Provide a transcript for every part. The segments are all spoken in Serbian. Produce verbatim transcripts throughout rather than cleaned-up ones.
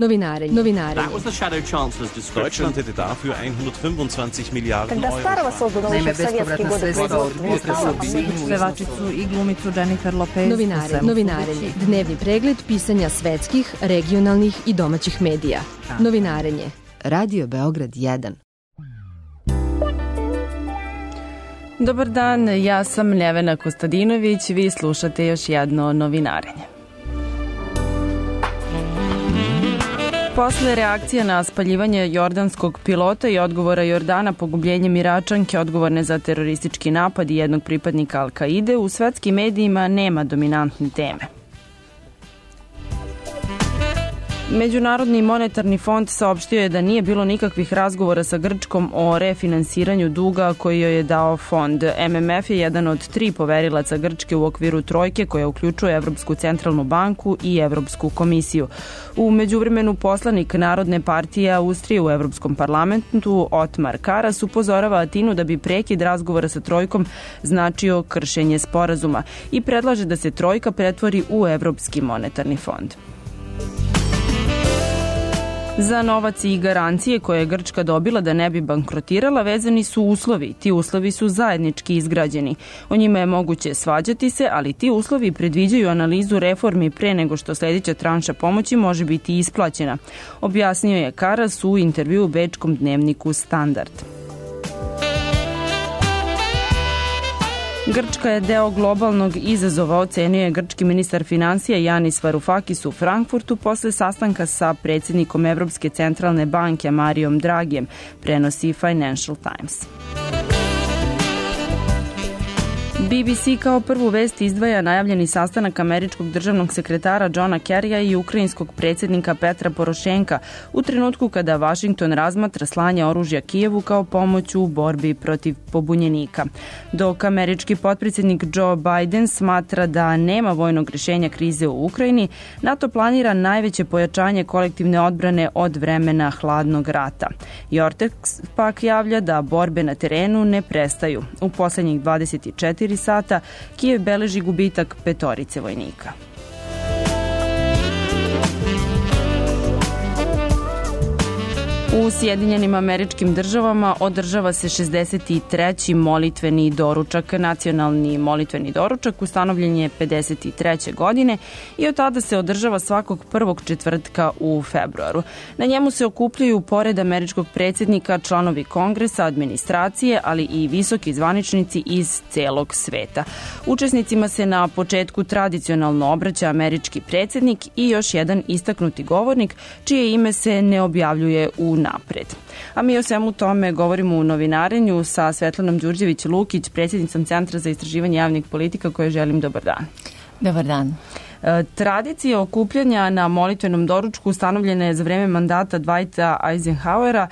novinarenje, novinarenje. Deutschland hätte dafür hundertfünfundzwanzig Milijarden Когда старого создан еще в советские годы производства. Pevačicu i glumicu Jennifer Lopez. Novinare, novinarenje. Dnevni pregled pisanja svetskih, regionalnih i domaćih medija. Novinarenje. Radio Beograd jedan. Dobar dan, ja sam Ljevena Kostadinović, vi slušate još jedno novinarenje. Posle reakcije na spaljivanje jordanskog pilota i odgovora Jordana pogubljenjem Iračanke odgovorne za teroristički napad i jednog pripadnika Al-Kaide, u svetskim medijima nema dominantne teme. Međunarodni monetarni fond saopštio je da nije bilo nikakvih razgovora sa Grčkom o refinansiranju duga koji joj je dao fond. M M F je jedan od tri poverilaca Grčke u okviru trojke koja uključuje Evropsku centralnu banku i Evropsku komisiju. U međuvremenu poslanik Narodne partije Austrije u Evropskom parlamentu Otmar Karas upozorava Atinu da bi prekid razgovora sa trojkom značio kršenje sporazuma i predlaže da se trojka pretvori u Evropski monetarni fond. Za novac i garancije koje je Grčka dobila da ne bi bankrotirala vezani su uslovi. Ti uslovi su zajednički izgrađeni. O njima je moguće svađati se, ali ti uslovi predviđaju analizu reformi pre nego što sljedeća tranša pomoći može biti isplaćena. Objasnio je Karas u intervju u bečkom dnevniku Standard. Grčka je deo globalnog izazova, ocenio je grčki ministar financija Yanis Varoufakis u Frankfurtu posle sastanka sa predsjednikom Evropske centralne banke Marijom Dragijem, prenosi Financial Times. B B C kao prvu vest izdvaja najavljeni sastanak američkog državnog sekretara Johna Kerrya i ukrajinskog predsjednika Petra Porošenka u trenutku kada Vašington razmatra slanje oružja Kijevu kao pomoć u borbi protiv pobunjenika. Dok američki potpredsjednik Joe Biden smatra da nema vojnog rješenja krize u Ukrajini, NATO planira najveće pojačanje kolektivne odbrane od vremena hladnog rata. Jortex pak javlja da borbe na terenu ne prestaju. U posljednjih dvadeset četiri sata Kijev beleži gubitak petorice vojnika. U Sjedinjenim Američkim Državama održava se šezdeset treći molitveni doručak. Nacionalni molitveni doručak ustanovljen je pedeset treće godine i od tada se održava svakog prvog četvrtka u februaru. Na njemu se okupljaju pored američkog predsjednika članovi kongresa, administracije, ali i visoki zvaničnici iz celog sveta. Učesnicima se na početku tradicionalno obraća američki predsjednik i još jedan istaknuti govornik čije ime se ne objavljuje u napred. A mi o svemu tome govorimo u novinarenju sa Svetlanom Đurđević-Lukić, predsjednicom Centra za istraživanje javnih politika, koje želim dobar dan. Dobar dan. Tradicija okupljanja na molitvenom doručku ustanovljena je za vreme mandata Dwighta Eisenhowera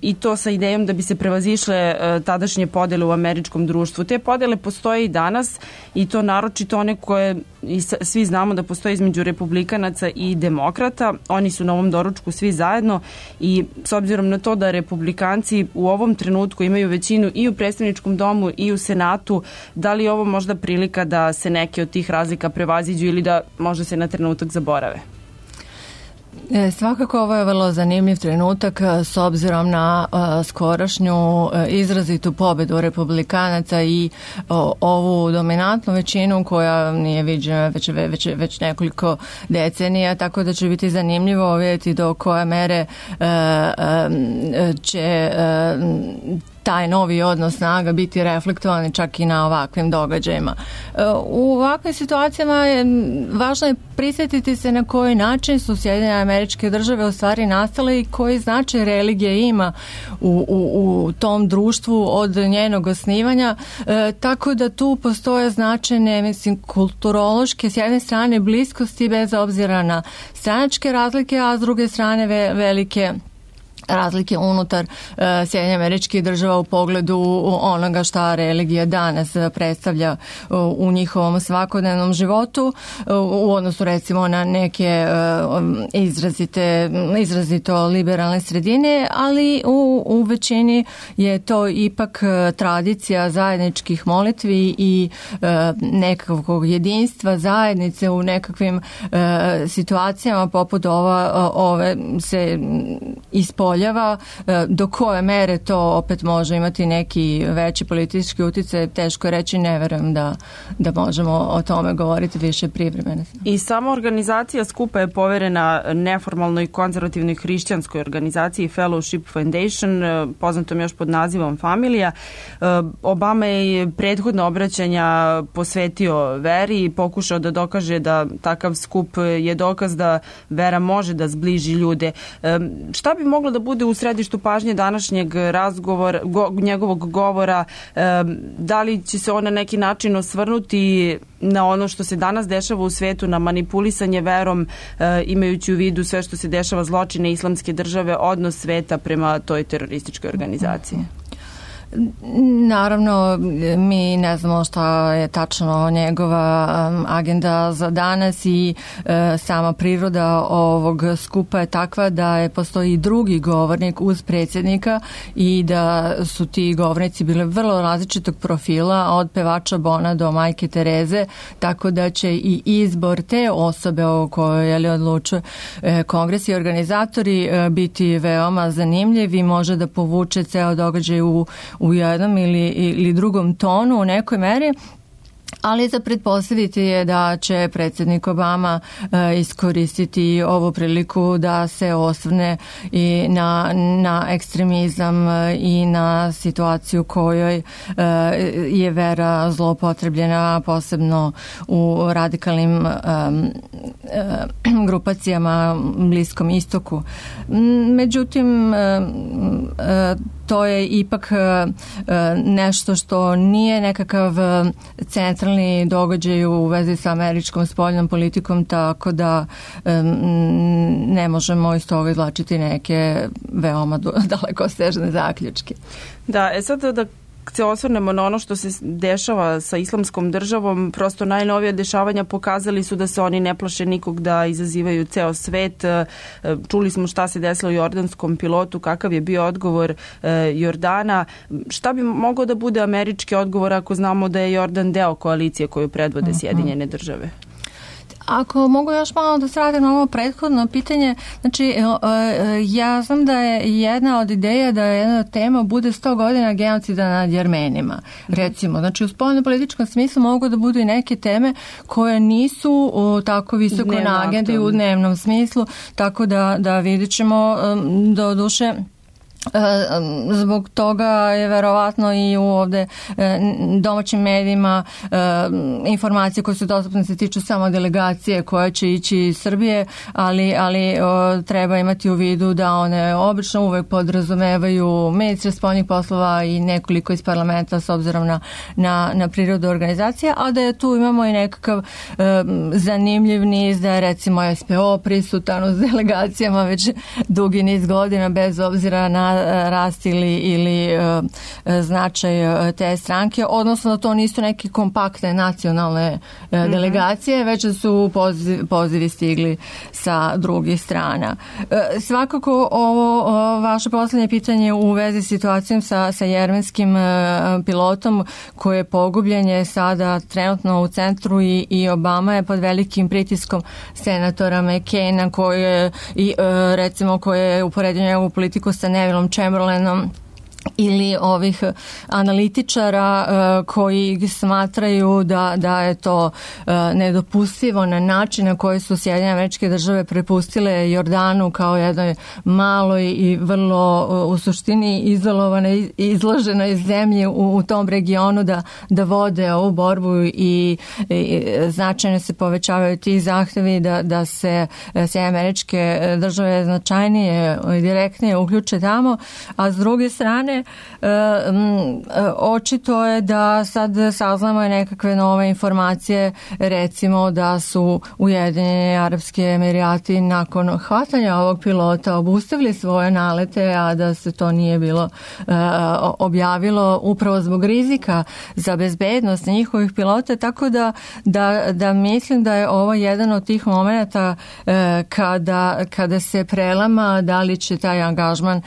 i to sa idejom da bi se prevazišle tadašnje podele u američkom društvu. Te podele postoje i danas i to naročito one koje i svi znamo da postoje između republikanaca i demokrata. Oni su na ovom doručku svi zajedno i s obzirom na to da republikanci u ovom trenutku imaju većinu i u predstavničkom domu i u Senatu, da li je ovo možda prilika da se neke od tih razlika prevaziđu ili da možda se na trenutak zaborave? E, svakako ovo je vrlo zanimljiv trenutak s obzirom na a, skorašnju a, izrazitu pobedu republikanaca i o, ovu dominantnu većinu koja nije viđena već, već, već nekoliko decenija, tako da će biti zanimljivo vidjeti do koje mere a, a, će a, taj novi odnos snaga biti reflektovani čak i na ovakvim događajima. U ovakvim situacijama je važno je prisjetiti se na koji način su Sjedinjene Američke Države u stvari nastale i koji značaj religija ima u, u, u tom društvu od njenog osnivanja. E, tako da tu postoje značajne, mislim, kulturološke, s jedne strane bliskosti bez obzira na stranačke razlike, a s druge strane ve, velike razlike unutar uh, Sjedinjenih Američkih Država u pogledu onoga šta religija danas predstavlja uh, u njihovom svakodnevnom životu uh, u odnosu recimo na neke uh, izrazite, izrazito liberalne sredine, ali u, u većini je to ipak uh, tradicija zajedničkih molitvi i uh, nekakvog jedinstva zajednice u nekakvim uh, situacijama poput ova, uh, ove se ispoljava. Do koje mere to opet može imati neki veći politički uticaj, teško je reći, ne verujem da, da možemo o tome govoriti više privremeno. I sama organizacija skupa je poverena neformalnoj konzervativnoj hrišćanskoj organizaciji Fellowship Foundation, poznatom još pod nazivom Familija. Obama je prethodno obraćanja posvetio veri i pokušao da dokaže da takav skup je dokaz da vera može da zbliži ljude. Šta bi moglo da bude u središtu pažnje današnjeg razgovora, go, njegovog govora, e, da li će se on na neki način osvrnuti na ono što se danas dešava u svetu, na manipulisanje verom, e, imajući u vidu sve što se dešava, zločine Islamske države, odnos sveta prema toj terorističkoj organizaciji? Naravno, mi ne znamo šta je tačno njegova agenda za danas i e, sama priroda ovog skupa je takva da je postoji i drugi govornik uz predsjednika i da su ti govornici bile vrlo različitog profila, od pevača Bona do majke Tereze, tako da će i izbor te osobe o kojoj je li odlučuje e, kongres i organizatori e, biti veoma zanimljiv i može da povuče ceo događaj u u jednom ili, ili drugom tonu u nekoj meri, ali za pretpostaviti je da će predsjednik Obama e, iskoristiti ovu priliku da se osvrne i na, na ekstremizam e, i na situaciju kojoj e, je vera zloupotrebljena, posebno u radikalnim e, e, grupacijama Bliskom istoku. Međutim, e, e, to je ipak e, nešto što nije nekakav centralni događaj u vezi sa američkom spoljnom politikom, tako da e, ne možemo iz toga izvlačiti neke veoma dalekosežne zaključke. Da, e sad da se osvrnemo na ono što se dešava sa Islamskom državom, prosto najnovije dešavanja pokazali su da se oni ne plaše nikog, da izazivaju ceo svet. Čuli smo šta se desilo jordanskom pilotu, kakav je bio odgovor Jordana. Šta bi mogao da bude američki odgovor ako znamo da je Jordan deo koalicije koju predvode Sjedinjene države? Ako mogu još malo da se vratim na ovo prethodno pitanje, znači ja znam da je jedna od ideja da jedna od tema bude sto godina genocida nad Jermenima, recimo. Znači u spoljno-političkom smislu mogu da budu i neke teme koje nisu tako visoko na agendi u dnevnom smislu, tako da, da vidjet ćemo do duše. Zbog toga je verovatno i u ovde domaćim medijima informacije koje su dostupne se tiču samo delegacije koja će ići iz Srbije, ali, ali treba imati u vidu da one obično uvek podrazumevaju ministre spoljnih poslova i nekoliko iz parlamenta s obzirom na, na, na prirodu organizacije, a da je tu imamo i nekakav zanimljiv niz, da je recimo S P O prisutan uz delegacijama već dugi niz godina bez obzira na rast ili, ili uh, značaj uh, te stranke, odnosno da to nisu neke kompaktne nacionalne uh, mm-hmm. delegacije, već da su poziv, pozivi stigli sa drugih strana. Uh, svakako ovo uh, vaše poslednje pitanje u vezi s situacijom sa, sa jermenskim uh, pilotom koji je pogubljen je sada trenutno u centru i, i Obama je pod velikim pritiskom senatora McCaina koji je i, uh, recimo koji je uporedio njegovu politiku sa Nevilleom Chamberlainom ili ovih analitičara uh, koji smatraju da, da je to uh, nedopustivo na način na koji su Sjedinjene Američke Države prepustile Jordanu kao jednoj maloj i vrlo uh, u suštini izolovanoj, izloženoj zemlji u, u tom regionu da, da vode ovu borbu i, i značajno se povećavaju ti zahtevi da, da se Sjedinjene Američke Države značajnije i direktnije uključe tamo, a s druge strane strane, očito je da sad saznamo nekakve nove informacije, recimo da su Ujedinjeni Arapski Emirati nakon hvatanja ovog pilota obustavili svoje nalete, a da se to nije bilo objavilo upravo zbog rizika za bezbednost njihovih pilota, tako da, da, da mislim da je ovo jedan od tih momenta kada, kada se prelama da li će taj angažman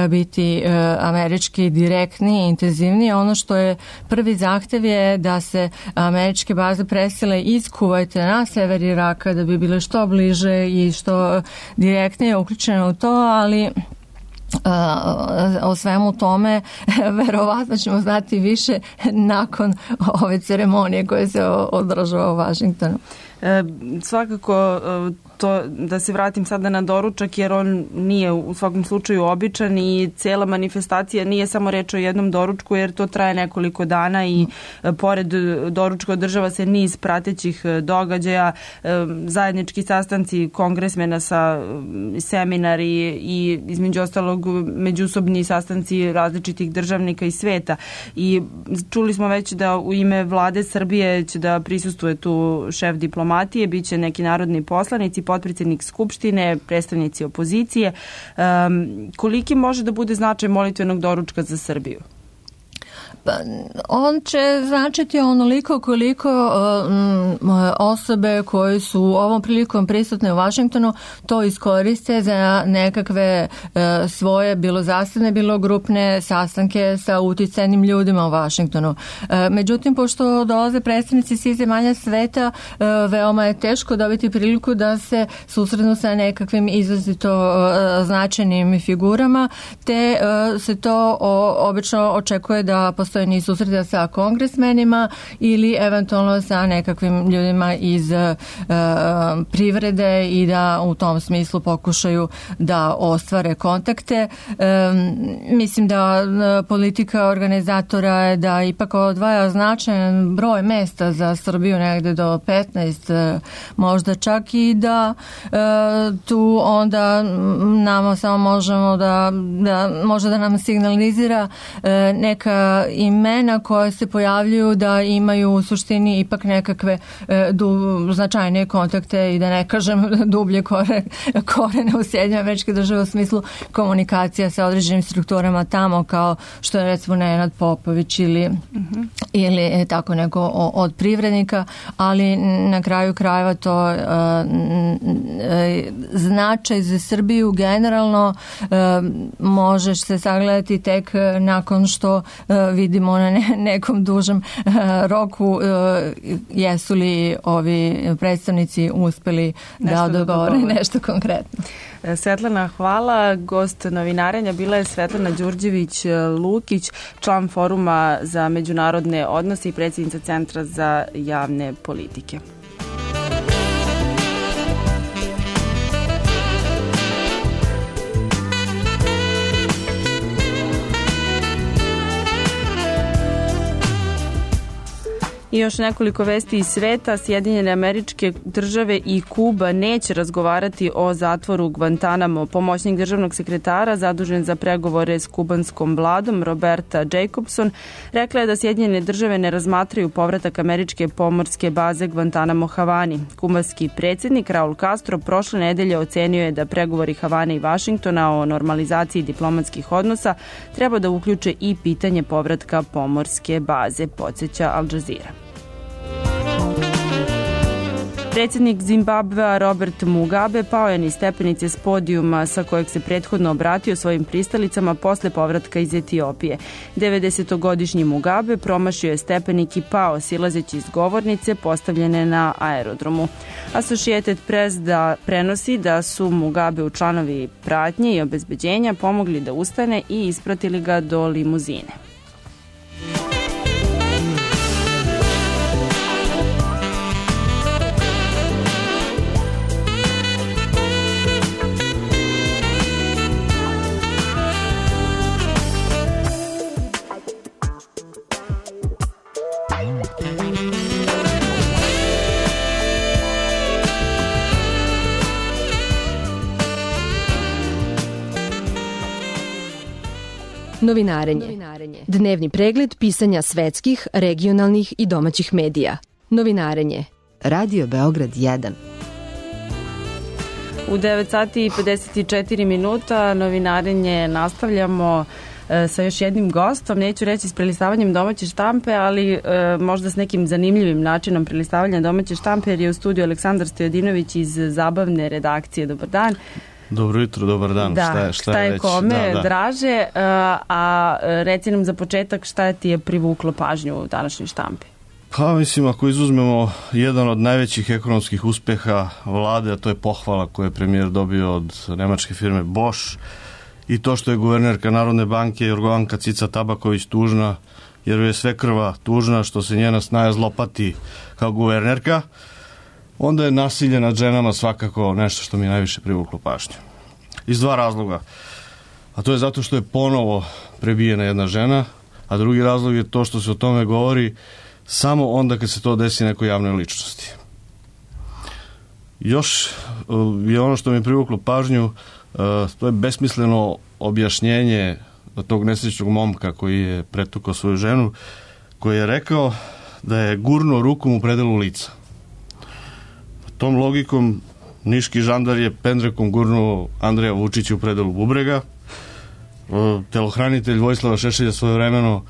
biti američki direktniji, intenzivniji. Ono što je prvi zahtev je da se američke baze presele iz Kuvajta na sever Iraka da bi bile što bliže i što direktnije uključene u to, ali o svemu tome verovatno ćemo znati više nakon ove ceremonije koje se održava u Vašingtonu. E, svakako to, da se vratim sada na doručak, jer on nije u svakom slučaju običan i cela manifestacija nije samo reč o jednom doručku, jer to traje nekoliko dana i pored doručka održava se niz pratećih događaja, zajednički sastanci kongresmena sa seminari i između ostalog međusobni sastanci različitih državnika iz sveta. I čuli smo već da u ime vlade Srbije će da prisustuje tu šef diplomatije, bit će neki narodni poslanici, potpredsjednik Skupštine, predstavnici opozicije. Um, koliki može da bude značaj molitvenog doručka za Srbiju? On će značiti onoliko koliko um, osobe koje su ovom prilikom prisutne u Vašingtonu to iskoriste za nekakve uh, svoje bilo zasebne, bilo grupne sastanke sa uticajnim ljudima u Vašingtonu. Uh, međutim, pošto dolaze predstavnici svih zemalja sveta, uh, veoma je teško dobiti priliku da se susretnu sa nekakvim izrazito uh, značajnim figurama, te uh, se to o, obično očekuje da postoje niz susreta sa kongresmenima ili eventualno sa nekakvim ljudima iz uh, privrede i da u tom smislu pokušaju da ostvare kontakte. Um, mislim da uh, politika organizatora je da ipak odvaja značajan broj mesta za Srbiju, negde do petnaest, uh, možda čak i da uh, tu onda nama samo možemo da, da može da nam signalizira uh, neka imena koja se pojavljuju da imaju u suštini ipak nekakve e, du, značajnije kontakte i da ne kažem dublje kore, korene u Sjedinjenim Američkih Država u smislu komunikacija sa određenim strukturama tamo, kao što je recimo Nenad Popović ili, uh-huh. ili tako neko od privrednika, ali na kraju krajeva to e, e, značaj za Srbiju generalno e, možeš se sagledati tek nakon što e, vidimo na ne, nekom dužem uh, roku uh, jesu li ovi predstavnici uspeli nešto da dogovore nešto konkretno. Svetlana, hvala. Gost novinarenja bila je Svetlana Đurđević-Lukić, član Foruma za međunarodne odnose i predsjednica Centra za javne politike. I još nekoliko vesti iz sveta. Sjedinjene Američke Države i Kuba neće razgovarati o zatvoru Guantanamo. Pomoćnik državnog sekretara zadužen za pregovore s kubanskom vladom Roberta Jacobson rekla je da Sjedinjene Države ne razmatraju povratak američke pomorske baze Guantanamo Havani. Kubanski predsjednik Raul Castro prošle nedelje ocenio je da pregovori Havane i Vašingtona o normalizaciji diplomatskih odnosa treba da uključe i pitanje povratka pomorske baze, podsjeća Al Jazeera. Predsjednik Zimbabvea Robert Mugabe pao je niz stepenice s podijuma sa kojeg se prethodno obratio svojim pristalicama posle povratka iz Etiopije. devedesetogodišnji Mugabe promašio je stepenik i pao silazeći iz govornice postavljene na aerodromu. Associated Press da prenosi da su Mugabe u članovi pratnje i obezbeđenja pomogli da ustane i ispratili ga do limuzine. Novinarenje. Dnevni pregled pisanja svetskih, regionalnih i domaćih medija. Novinarenje. Radio Beograd jedan. U devet sati i pedeset četiri minuta novinarenje nastavljamo e, sa još jednim gostom, neću reći s prelistavanjem domaće štampe, ali e, možda s nekim zanimljivim načinom prelistavanja domaće štampe, jer je u studiju Aleksandar Stojadinović iz zabavne redakcije. Dobar dan. Dobro jutro, dobar dan. Da, šta je, šta šta je već? kome da, da. draže, a, a reci nam za početak šta ti je privuklo pažnju u današnjoj štampi? Pa mislim, ako izuzmemo jedan od najvećih ekonomskih uspeha vlade, a to je pohvala koju je premijer dobio od nemačke firme Bosch, i to što je guvernerka Narodne banke Jorgovanka Cica Tabaković tužna, jer je sve krva tužna što se njena snaja zlopati kao guvernerka, onda je nasilje nad ženama svakako nešto što mi je najviše privuklo pažnju. Iz dva razloga. A to je zato što je ponovo prebijena jedna žena, a drugi razlog je to što se o tome govori samo onda kad se to desi nekoj javnoj ličnosti. Još je ono što mi je privuklo pažnju, to je besmisleno objašnjenje tog nesrećnog momka koji je pretukao svoju ženu, koji je rekao da je gurnuo rukom u predelu lica. Tom logikom niški žandar je pendrekom gurnuo Andreja Vučića u predelu bubrega, telohranitelj Vojislava Šešelja svojevremeno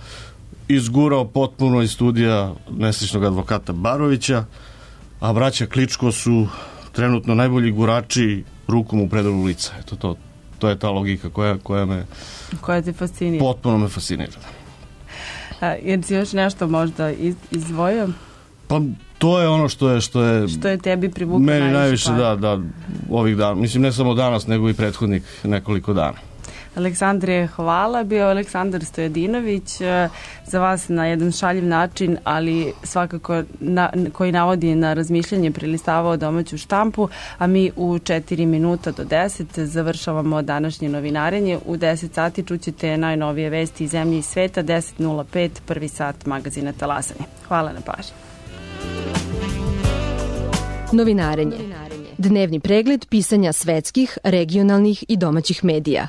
izgurao potpuno iz studija nesrećnog advokata Barovića, a braća Kličko su trenutno najbolji gurači rukom u predelu lica. Eto, to, to je ta logika koja, koja me koja te fascinira. Potpuno me fascinira. A, jer si još nešto možda iz, izdvojio? Pa to je ono što je što je, što je tebi privuklo meni najviše, najviše da, da, ovih dana. Mislim, ne samo danas, nego i prethodnik nekoliko dana. Aleksandre, hvala. Bio Aleksandar Stojadinović, za vas na jedan šaljiv način, ali svakako na, koji navodi na razmišljanje, prelistavao domaću štampu, a mi u četiri minuta do deset završavamo današnje novinarenje. U deset sati čućete najnovije vesti iz zemlje i sveta, deset nula pet, prvi sat magazina Talasanje. Hvala na pažnji. Novinarenje. Dnevni pregled pisanja svetskih, regionalnih i domaćih medija.